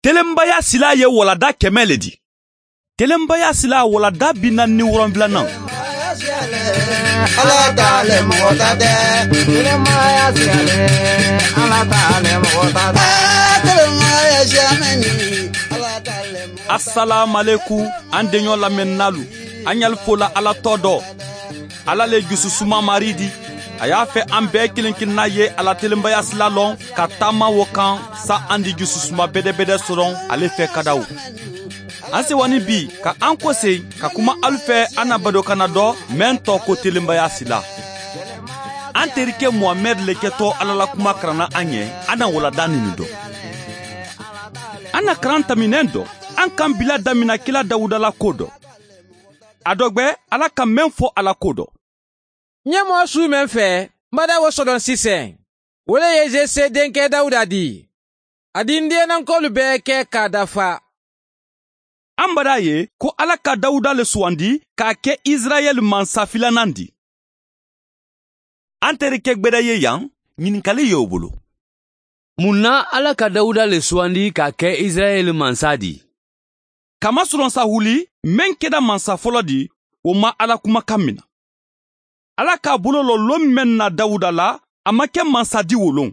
Telenbaya sila ye walada 100 le di. Telenbaya sila walada 47nan. Ala t'ale mɔgɔ ta tɛ. Telenbaya siyale, Ala t'ale mɔgɔ ta tɛ. Telenbaya siyamɛni, Ala t'ale mɔgɔ ta tɛ. Assalamu alaikum, an denɲɔ lamɛnnalu. An y'al fola Ala tɔ dɔ. Ala le jususuma mari di. A y'a fɛ an bɛɛ kelen kelenna ye Ala telenbaya sila lɔn ka taama wo kan sa an di jususuma bɛdɛbɛdɛ sɔrɔ ale fɛ kadaw. An sewani bi ka an kɔse ka kuma alu fɛ an na badokana dɔ mɛn tɔ ko telenbaya sila. An terikɛ Mohamɛd le kɛtɔ Ala la kuma karanna an ɲɛ, an na walada nini dɔ. An na karan taminɛn dɔ, an kan bila damina kila Dawuda la ko dɔ. A dɔgbɛ Ala ka mɛn fɔ Ala ko dɔ. N ye mɔgɔ su mɛn fɛ, n bada wo sɔdɔn sisan. O le ye Jese denkɛ Dawuda di. A di n dennankɔlu bɛɛ kɛ k'a dafa. An bada ye ko Ala ka Dawuda le sugandi k'a kɛ Israɛl mansa filanan di. An terikɛ gbɛdɛ ye yan, ɲininkali y'o bolo. Mun na Ala ka Dawuda le sugandi k'a kɛ Israɛl mansa di? Kamasɔrɔ Sahuli mɛn kɛra mansa fɔlɔ di, o ma Ala kumakan minɛ. Ala k'a bolo lɔ lon mɛn na Dawuda la, a ma kɛ mansa di wolon.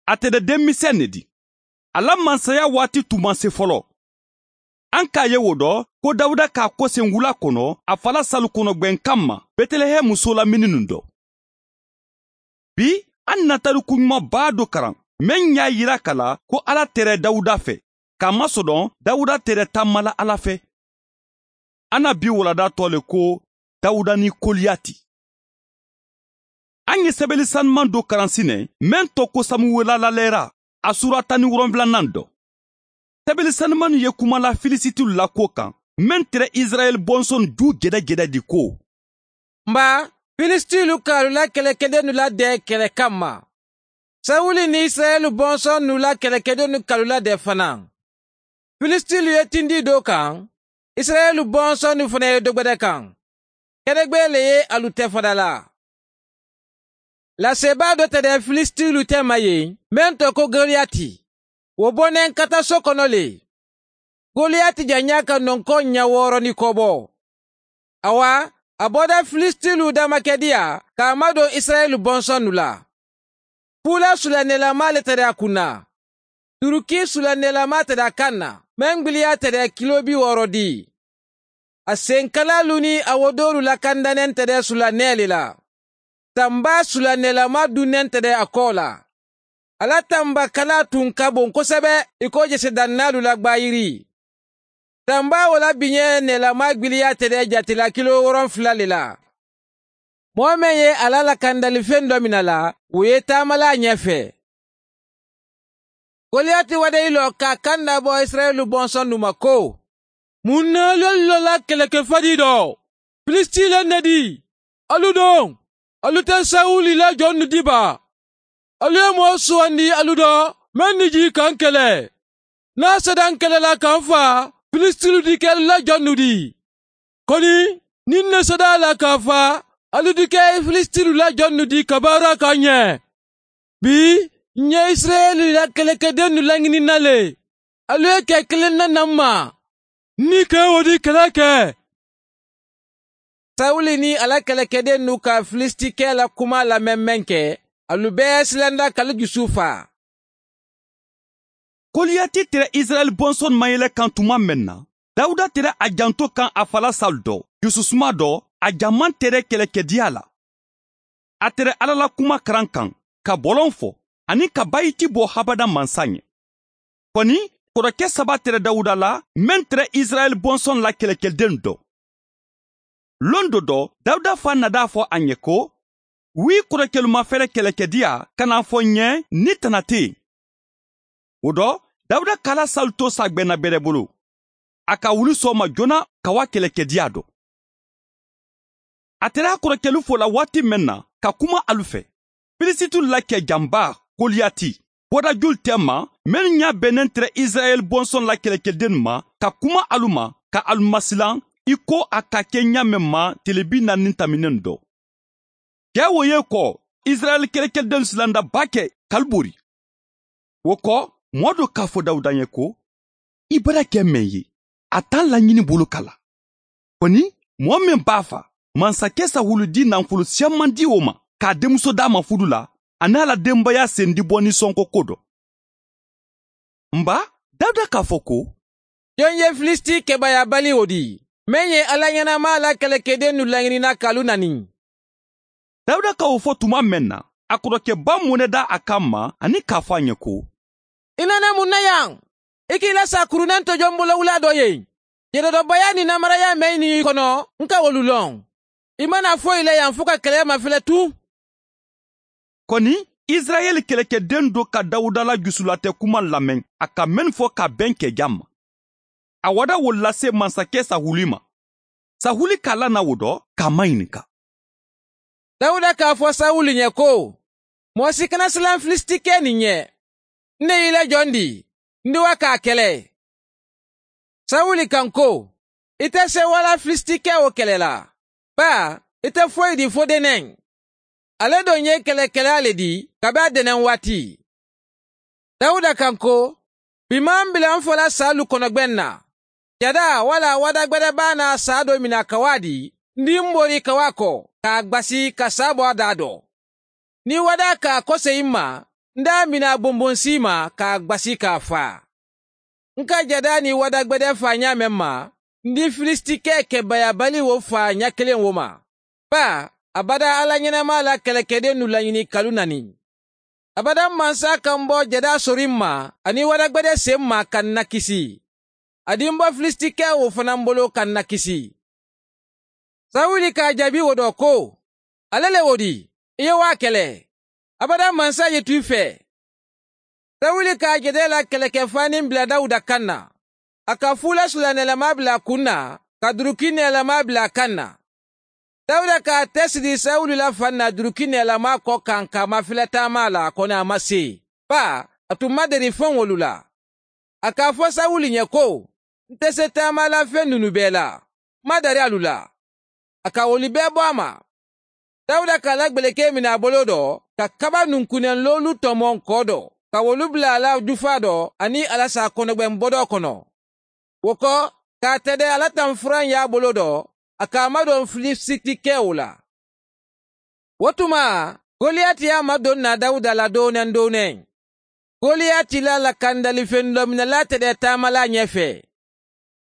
A tɛ dɛ denmisɛn ne di. A la mansaya waati tun ma se fɔlɔ. An k'a ye o dɔ ko Dawuda k'a kɔsen wula kɔnɔ a fala salu kɔnɔ gwɛnkan ma Bɛtɛlɛhɛmu muso la minnu dɔ. Bi an na tariku ɲumanba dɔ karan mɛn y'a yira ka la ko Ala tɛrɛ Dawuda fɛ, k'a masɔrɔ Dawuda tɛrɛ taama la Ala fɛ. An na bi walada tɔ le ko Dawuda ni Koliyati. An ye sɛbɛnni sanuman dɔ karan sinɛ mɛn tɔ ko Samuwela lalɛra a sura 17nan dɔ. Sɛbɛnni sanuman ye kuma la Filisitiw la ko kan mɛn tɛrɛ Israɛl bɔnsɔn ju gɛdɛgɛdɛ di ko. Nba Filisitiw k'alu la kɛlɛkɛdennu ladɛn kɛlɛ kama. Sawuli ni Israɛl bɔnsɔn la kɛlɛkɛdennu k'alu ladɛn fana. Filisitiw ye tindi dɔ kan, Israɛl bɔnsɔn fana ye dɔ gbɛdɛ kan. Kɛnɛgbɛ le ye alu tɛ fada la. Lasebaa dɔ tɛ dɛ Filisitiw tɛ ma yen, mɛn tɔ ko Goliyati. O bɔnɛ kata so kɔnɔ le. Goliyati janya ka nɔnkɔ ɲɛ 6 ni kɔ bɔ. Awa, a bɔda Filisitiw damakɛdiya k'a madon Israɛl bɔnsɔnnu la. Fula sulanɛlama le tɛ a kunna. Turuki sulanɛlama tɛ a kan na. Mɛn gbiliya tɛ dɛ kilo 60 di. A senkalalu ni a wodolu lakandanen tɛ dɛ sulanɛ le la. Tanba sulanɛlama dunnen tɛ dɛ a kɔ la. Ala tanba kala tun ka bon kosɛbɛ i ko jesedannalu la gbayiri. Tanba o la biɲɛ nɛlama gbiliya tɛ dɛ jatela kilo 7 le la. Mɔgɔ min ye ala lakandalifɛn dɔ minɛ la, o ye taamala ɲɛfɛ. Goliyati wade i lɔ ka kan dabɔ Israɛlu bɔnsɔnnu ma ko, mun na alu lɔla kɛlɛkɛfadi dɔ? Filisti le ne di. Alu don, alu tɛ Sawuli la jɔnnu di ba. Alu ye mɔgɔ sugandi alu dɔ, mɛn ni ji k'an kɛlɛ. N'a sera an kɛlɛ la k'an fa, Filistiw di kɛ alu la jɔnnu di. Kɔni, ni ne sera a la k'a fa, alu di kɛ Filistiw la jɔnnu di ka baara k'an ɲɛ. Bi, n ye Israɛl la kɛlɛkɛdennu laɲinina le. Alu ye kɛ kelen na na ma. Ni kɛ o di kɛlɛ kɛ. Sawuli ni ala kɛlɛkɛdennu ka Filistikɛ la kuma lamɛn mɛn kɛ, alu bɛɛ silanda k'alu jusu fa. Koliyati tɛrɛ Israɛl bɔnsɔn mayɛlɛ kan tuma mɛn na, Dawuda tɛrɛ a janto kan a fala Saul dɔ, jususuma dɔ, a jaman tɛrɛ kɛlɛkɛdiya la. A tɛrɛ Ala la kuma karan kan, ka bɔlɔn fɔ, ani ka bayiti bɔ habada mansa ɲɛ. Kɔni, kɔrɔkɛ 3 tɛrɛ Dawuda la, mɛn tɛrɛ Israɛl bɔnsɔn la kɛlɛkɛden dɔ. Lon dɔ dɔ, Dawuda fa nada fɔ a ɲɛ ko, wi kɔrɔkɛlu ma fɛrɛ kɛlɛkɛdiya ka n'a fɔ ɲɛ ni tana tɛ yen. O dɔ, Dawuda k'ala Saul to sagbɛnna bɛrɛ bolo. A ka wuli sɔgɔma joona ka wa kɛlɛkɛdiya dɔ. A tɛrɛ a kɔrɔkɛlu fo la waati mɛn na ka kuma alu fɛ. Filisitiw la kɛ janba Goliyati bɔda joli tɛ ma mɛn ɲa bɛnnen tɛrɛ Israɛl bɔnsɔn la kɛlɛkɛden ma ka kuma alu ma ka alu masilan i ko a ka kɛ ɲa mɛn ma tile 40 taminen dɔ. Cɛ wo ye kɔ Israɛl kɛlɛkɛden silanda ba kɛ kalibori. O kɔ, mɔɔ dɔ k'a fɔ Dawuda ye ko, I bara kɛ mɛn ye, a t'a laɲini bolo kala. Kɔni, mɔgɔ min b'a fa, masakɛ Sahulu di nafolo siyaman di o ma, k'a denmuso d'a ma fudu la, a n'a la denbaya sen di bɔ nisɔnko ko dɔ. Nba, Dawuda k'a fɔ ko, Jɔn ye Filisti kɛbayabali o di, mɛn ye Ala ɲɛnama la kɛlɛkɛden nu laɲinina k'alu nani. Dawuda ka o fɔ tuma mɛn na, a kɔrɔkɛba mɔnɛ da a kan ma ani k'a fɔ a ɲɛ ko, I nana mun na yan? I k'i la sa kurunan tɔjɔn bolowula dɔ ye. Yɛrɛdɔbaya ni namaraya mɛn ni kɔnɔ, n ka wolu lɔn. I mana foyi la yan fo ka kɛlɛ mafilɛ tun. Kɔni, Israɛl kɛlɛkɛden dɔ ka Dawuda la jusulatɛ kuma lamɛn, a ka mɛn fɔ ka bɛn kɛja ma. A wada wo lase masakɛ Sahuli ma. Sahuli k'a la na wo dɔ k'a maɲininka. Dawuda k'a fɔ Sawuli ɲɛ ko, mɔgɔ si kana siran Filistikɛ nin ɲɛ. Ne y'i la jɔn di, n di wa k'a kɛlɛ. Sawuli kan ko, i tɛ se wala Filistikɛ o kɛlɛ la. Ba, i tɛ foyi di fo dɛnɛn. Ale don ye kɛlɛkɛla le di kabi a dɛnɛn waati. Dawuda kan ko, bi m'an bila n fɔla salu kɔnɔgbɛn na. Jada wala wadagbɛdɛ b'a na sa dɔ mina kawa di, n di n bori kawa kɔ, k'a gbasi ka sa bɔ a da dɔ. Ni wada k'a kɔsegin ma, n d'a mina bonbonsi ma k'a gbasi k'a fa. N ka jada ni wadagbɛdɛ fa ɲa mɛn ma, n di Filistikɛ kɛbayabali wo fa ɲa kelen wo ma. Ba, abada Ala ɲɛnama la kɛlɛkɛden nu laɲini kalu nani. Abada mansa kan bɔ jada sori ma ani wadagbɛdɛ sen ma ka na kisi. A di n bɔ Filistikɛ wo fana bolo ka na kisi. Sawuli k'a jaabi wo dɔ ko, ale le wo di, i ye waa kɛlɛ. Abada mansa ye tu fɛ. Sawuli k'a jɛdɛ la kɛlɛkɛfani bila Dawuda kan na. A ka fula sulanɛlama bila kun na, ka duruki nɛlama bila kan na. Dawuda k'a tɛ siri Sawuli la fan na duruki nɛlama kɔ kan k'a mafilɛ taama la kɔni a ma se. Ba, a tun ma deli fɛn wolu la. A k'a fɔ Sawuli ɲɛ ko, n tɛ se taama la fɛn ninnu bɛɛ la. N ma dari alu la. A ka woli bɛɛ bɔ a ma. Dawuda k'a la gbeleke minɛ a bolo dɔ, ka kaba nunkunɛn tɔmɔ kɔ dɔ, ka wolu bila a la jufa dɔ ani alasa kɔnɔgbɛn bɔdɔ kɔnɔ. O kɔ, k'a tɛdɛ ala tan furan y'a bolo dɔ, a k'a madon Filistikɛ o la. O tuma, Goliyati y'a madon na Dawuda la donɛn donɛn. Goliyati la lakandalifɛn dɔ minɛla tɛdɛ taamala ɲɛfɛ.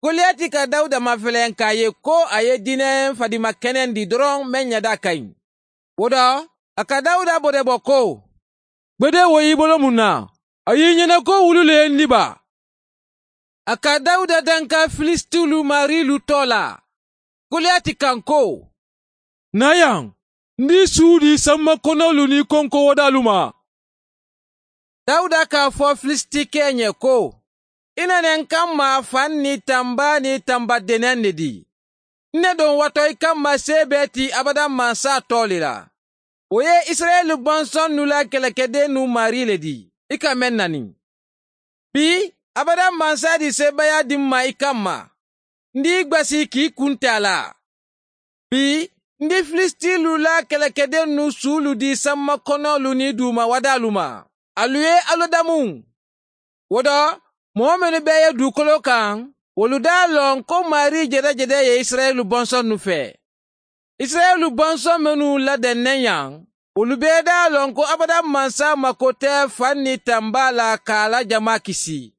Goliyati ka Dawuda mafɛlɛn k'a ye ko a ye diinɛ fadima kɛnɛ di dɔrɔn mɛn ɲɛda ka ɲi. O dɔ, a ka Dawuda bɔdɛbɔ ko, Gbede wo y'i bolo mun na? A y'i ɲɛna ko wulu le ye n diba. A ka Dawuda danka Filistilu marilu tɔ la. Goliyati kan ko, Na yan, n di su di sanma kɔnɔlu ni kɔnko wadalu ma. Dawuda k'a fɔ Filistikɛ ɲɛ ko, i nana n kan ma fan ni tanba ni tanba dɛnɛn de di. Ne don watɔ i kan ma se bɛɛ ti abada mansa tɔ le la. O ye Israɛl bɔnsɔn nu la kɛlɛkɛden nu mari le di, i ka mɛn nani. Bi, abada mansa di sebaya di ma i kan ma. N di gbasi k'i kun tɛ a la. Bi, n di Filistilu la kɛlɛkɛden nu sulu di sanma kɔnɔlu ni duma wadalu ma. Alu ye alodamu. O dɔ, mɔgɔ minnu bɛɛ ye dugukolo kan, olu d'a lɔn ko mari jɛdɛjɛdɛ ye Israɛl bɔnsɔn nu fɛ. Israɛl bɔnsɔn minnu ladɛnnɛ yan, olu bɛɛ d'a lɔn ko abada mansa mako tɛ fan ni tanba la k'a la jama kisi.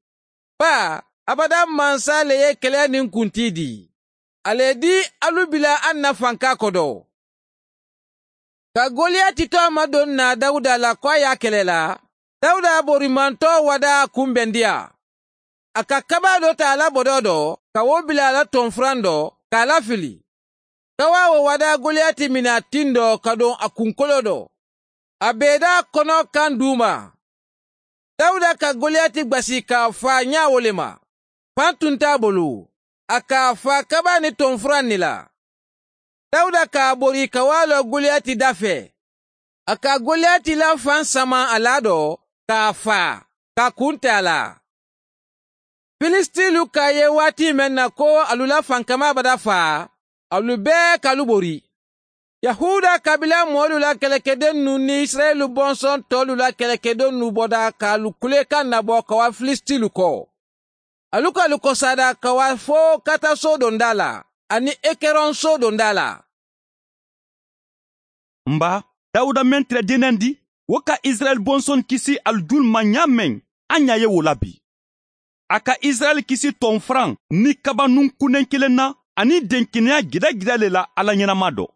Ba, abada mansa le ye kɛlɛ nin kunti di. Ale di alu bila an na fanka kɔdɔ. Ka Goliyati tɔ ma don na Dawuda la ko a y'a kɛlɛ la, Dawuda borimantɔ wada kunbɛndiya. A ka kaba dɔ ta a la bɔdɔ dɔ, ka wo bila a la tɔnfuran dɔ, k'a lafili. Kawa wo wada Goliyati minɛ a tin dɔ ka don a kunkolo dɔ. A bɛda kɔnɔ kan d'u ma. Dawuda ka Goliyati gbasi k'a fa ɲa wo le ma. Fan tun t'a bolo. A k'a fa kaba ni tɔnfuran ni la. Dawuda k'a bori ka wa lɔ Goliyati da fɛ. A ka Goliyati la fan sama a la dɔ, k'a fa, k'a kun tɛ a la. Filistilu k'a ye waati mɛn na ko alu la fankama bada fa, alu bɛɛ k'alu bori. Yahuda kabila mɔɔlu la kɛlɛkɛden nu ni Israɛlu bɔnsɔn tɔlu la kɛlɛkɛden nu bɔda k'alu kulekan nabɔ ka wa Filistilu kɔ. Alu k'alu kɔsada ka wa fo kata so donda la ani Ekerɔn so donda la. Nba, Dawuda mɛn tɛrɛ dennen di, wo ka Israɛl bɔnsɔn kisi alu julu ma ɲa mɛn, an ɲa ye wo la bi. A ka Israɛl kisi tɔnfuran ni kabanun kunnen kelen na ani denkɛnɛya gɛrɛgɛrɛ le la Ala ɲɛnama dɔ.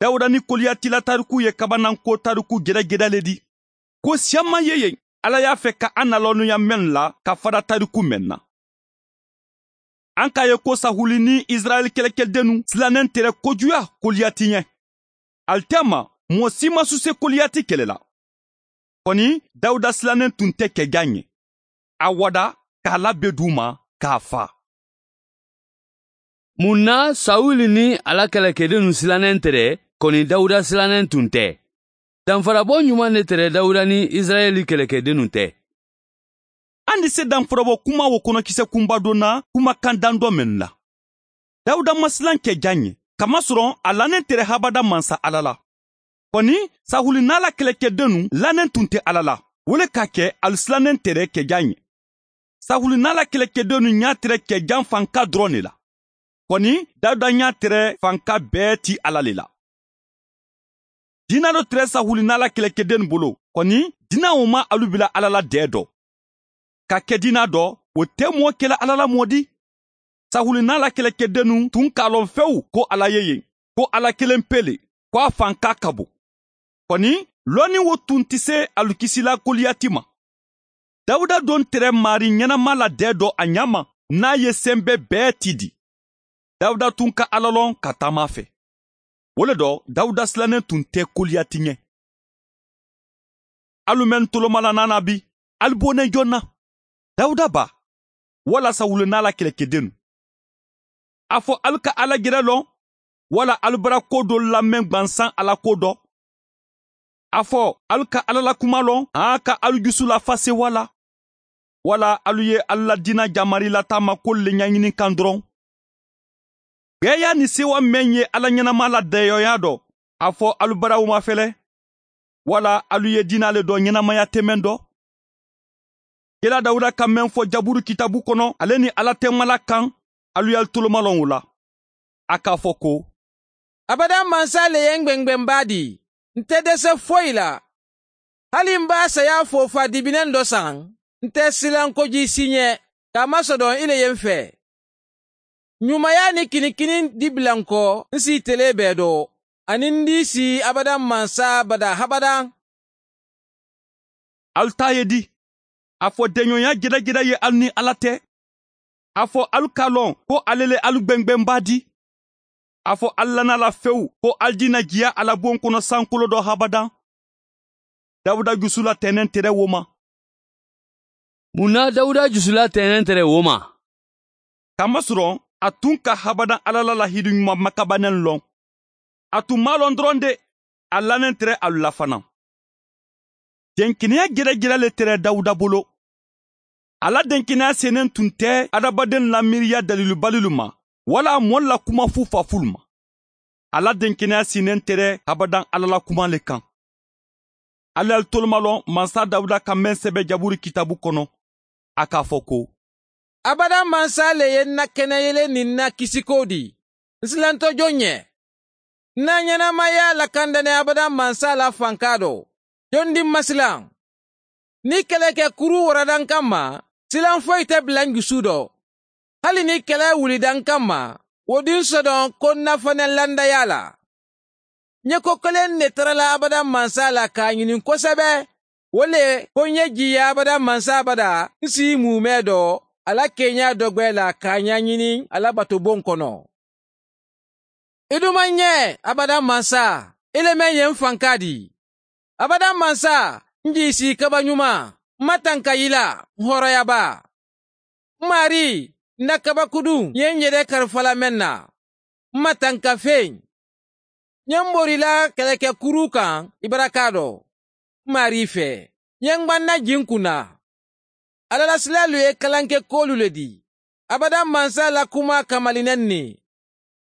Dawuda ni Koliyati la tariku ye kabananko tariku gɛrɛgɛrɛ le di. Ko siyaman ye yen, Ala y'a fɛ ka an nalɔnniya mɛn la ka fara tariku mɛn na. An k'a ye ko Sahuli ni Israɛl kɛlɛkɛdennu silannen tɛrɛ kojuya Koliyati ɲɛ. Alitɛma, mɔgɔ si ma su se Koliyati kɛlɛ la. Kɔni, Dawuda silannen tun tɛ kɛjan ɲɛ. A wada k'a labɛn d'u ma k'a fa. Mun na Sawuli ni a la kɛlɛkɛdennu silannen tɛrɛ, kɔni Dawuda silannen tun tɛ? Danfarabɔ ɲuman de tɛrɛ Dawuda ni Israɛli kɛlɛkɛdennu tɛ. An di se danfarabɔ kuma wo kɔnɔkisɛ kunba dɔ na kumakan dan dɔ min la. Dawuda ma silan kɛjan ɲɛ, kamasɔrɔ a lannen tɛrɛ habada mansa Ala la. Kɔni, Sahuli n'a la kɛlɛkɛdennu lannen tun tɛ Ala la, wo le k'a kɛ alu silannen tɛrɛ kɛjan ɲɛ. Sahuli n'a la kɛlɛkɛdennu ɲa tɛrɛ kɛjan fanka dɔrɔn de la. Kɔni, Dawuda ɲa tɛrɛ fanka bɛɛ ti Ala le la. Dina dɔ tɛrɛ Sahuli n'a la kɛlɛkɛdennu bolo, kɔni, dina o ma alu bila Ala la dɛɛ dɔ. Ka kɛ dina dɔ, o tɛ mɔɔ kɛlɛ Ala la mɔ di. Sahuli n'a la kɛlɛkɛdennu tun k'a lɔn fewu ko Ala ye yen, ko Ala kelen pe le, ko a fanka ka bon. Kɔni, lɔnni wo tun tɛ se alu kisila Koliyati ma. Dawuda don tɛrɛ mari ɲɛnama la dɛɛ dɔ a ɲa ma, n'a ye sɛnbɛ bɛɛ ti di. Dawuda tun ka Ala lɔn ka taama fɛ. O le dɔ, Dawuda silannen tun tɛ Koliyati ɲɛ. Alu mɛn tolomala nana bi, alu bonnen jɔn na. Dawuda ba, wala Sawuli n'a la kɛlɛkɛdennu. A fɔ alu ka Ala gɛrɛ lɔn, wala alu bara ko dɔ lamɛn gwansan Ala ko dɔ. A fɔ alu ka Ala la kuma lɔn, an ka alu jusu lafa sewa la. Wala alu ye alu la dina jamari la taama ko le ɲɛɲini kan dɔrɔn. Gbɛya ni sewa mɛn ye Ala ɲɛnama la dɛyɔya dɔ, a fɔ alu baraw ma fɛlɛ. Wala alu ye dina le dɔ ɲɛnamaya tɛmɛn dɔ. Kira Dawuda ka mɛn fɔ Jaburu kitabu kɔnɔ, ale ni Ala tɛmala kan, alu y'alu tolomalɔn o la. A k'a fɔ ko, Abada mansa le ye n gwɛngwɛnba di, n tɛ dɛsɛ foyi la. Hali n b'a saya fofa dibinɛn dɔ san, n tɛ silan koji si ɲɛ, k'a masɔrɔ i le ye n fɛ. Ɲumaya ni kinikini di bila n kɔ, n si tele bɛɛ dɔ, ani n di si abada mansa bada habada. Alu t'a ye di, a fɔ dɛɲɔgɔnya gɛrɛgɛrɛ ye alu ni Ala tɛ. A fɔ alu k'a lɔn ko ale le alu gwɛngwɛnba di. A fɔ alu lana la fewu ko alu dina jiya Ala bon kɔnɔ sankolo dɔ habadan. Dawuda jusula tɛnɛn tɛrɛ wo ma. Mun na Dawuda jusula tɛnɛn tɛrɛ wo ma? Kamasɔrɔ a tun ka habadan Ala la lahidu ɲuman makabannen lɔn. A tun m'a lɔn dɔrɔn de, a lannen tɛrɛ alu la fana. Denkɛnɛya gɛrɛgɛrɛ le tɛrɛ Dawuda bolo. Ala denkɛnɛya sennen tun tɛ adamaden lamiiriya dalilubalilu ma, wala mɔɔ la kuma fufafulu ma. Ala denkɛnɛya sinnen tɛrɛ habadan Ala la kuma le kan. Ala y'al tolomalɔn mansa Dawuda ka mɛn sɛbɛ Jaburu kitabu kɔnɔ. A k'a fɔ ko, Abada mansa le ye n na kɛnɛyelen ni n na kisiko di, n silantɔ jɔn ɲɛ. N na ɲɛnamaya lakandanɛ abada mansa la fanka dɔ, jɔn di masilan. Ni kɛlɛkɛ kuru warada n kama, silan foyi tɛ bila n jusu dɔ. Hali ni kɛlɛ wulida n kama, o di n sɔdɔn ko n na fana landaya la. N ye ko kelen de tarala abada mansa la k'a ɲini kosɛbɛ, o le ko n ye jiya abada mansa bada, n si mumɛ dɔ, ala kenya dɔgbɛ la k'a ɲɛɲini ala batobon kɔnɔ. I dun ma ɲɛ abada mansa, i le mɛn ye n fanka di. Abada mansa, n j'i si kaba ɲuman, n ma tanka i la, n hɔrɔnyaba. N mari, n na kabakudun ye n yɛrɛ karifala mɛn na, n ma tanka fen. N ye n borila kɛlɛkɛkuru kan i baraka dɔ, n mari fɛ, n ye n gbanna jin kunna. Alalasilalu ye kalankɛ kolu le di. Abada mansa la kuma kamalinɛn ni.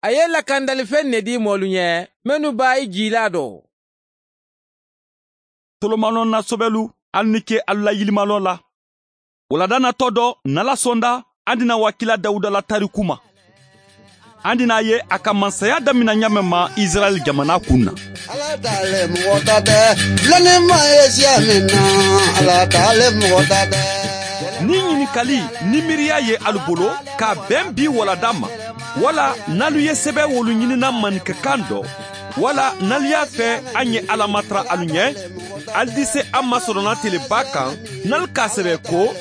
A ye lakandalifɛn ne di mɔlu ɲɛ, minnu b'a i jila dɔ. Tolomalɔn na sɔbɛlu, alu ni ke alu la yilimalɔ la. Wulada natɔ dɔ n'Ala sɔnda, an dina wakila Dawuda la tariku ma. An dina ye a ka mansaya damina ɲa mɛn ma Israɛl jamana kun na. Ala t'ale mɔgɔ ta tɛ, lɔnnima ye siya min na, Ala t'ale mɔgɔ ta tɛ. Ni ɲininkali ni miiriya ye alu bolo ka bɛn bi walada ma, wala n'alu ye sɛbɛ wolu ɲinina maninkakan dɔ, wala n'alu y'a fɛ an ye Ala matara alu ɲɛ, alu di se an masɔrɔna teleba kan n'alu k'a sɛbɛ ko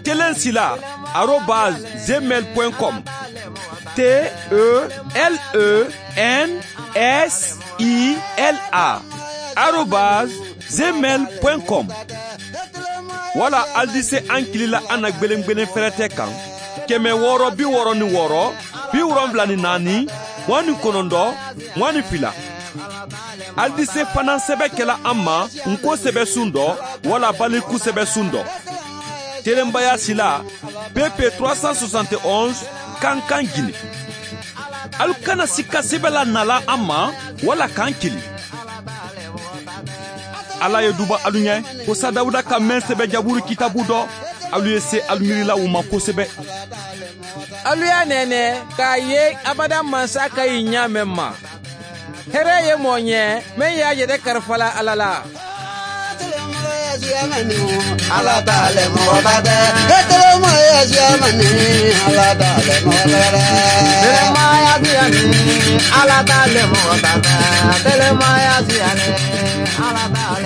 telensila@gmail.com, telensila@gmail.com, wala alu di se an kilila an na gwelen fɛrɛtɛ kan 666 74 29 22. Alu di se fana sɛbɛ kɛla an ma nko sɛbɛ sun dɔ wala baliku sɛbɛ sun dɔ. Telenbaya sila PP 371 Kankan Guinée. Alu kana sika sɛbɛ la nala an ma wala k'an kili. Ala ye duba alu ɲɛ ko sa Dawuda ka mɛn sɛbɛ Jaburu kitabu dɔ, alu ye se alu miirila o ma kosɛbɛ. Alu y'a nɛnɛ k'a ye abada mansa ka ɲi ɲa mɛn ma. Hɛrɛ ye mɔɔ ɲɛ mɛn y'a yɛrɛ karifala Ala la. Ala t'ale mɔgɔ ta tɛ, telemaya siya mani, Ala t'ale mɔgɔ ta tɛ. Telemaya siya ni, Ala t'ale mɔgɔ ta tɛ, telemaya siya ni, Ala t'ale.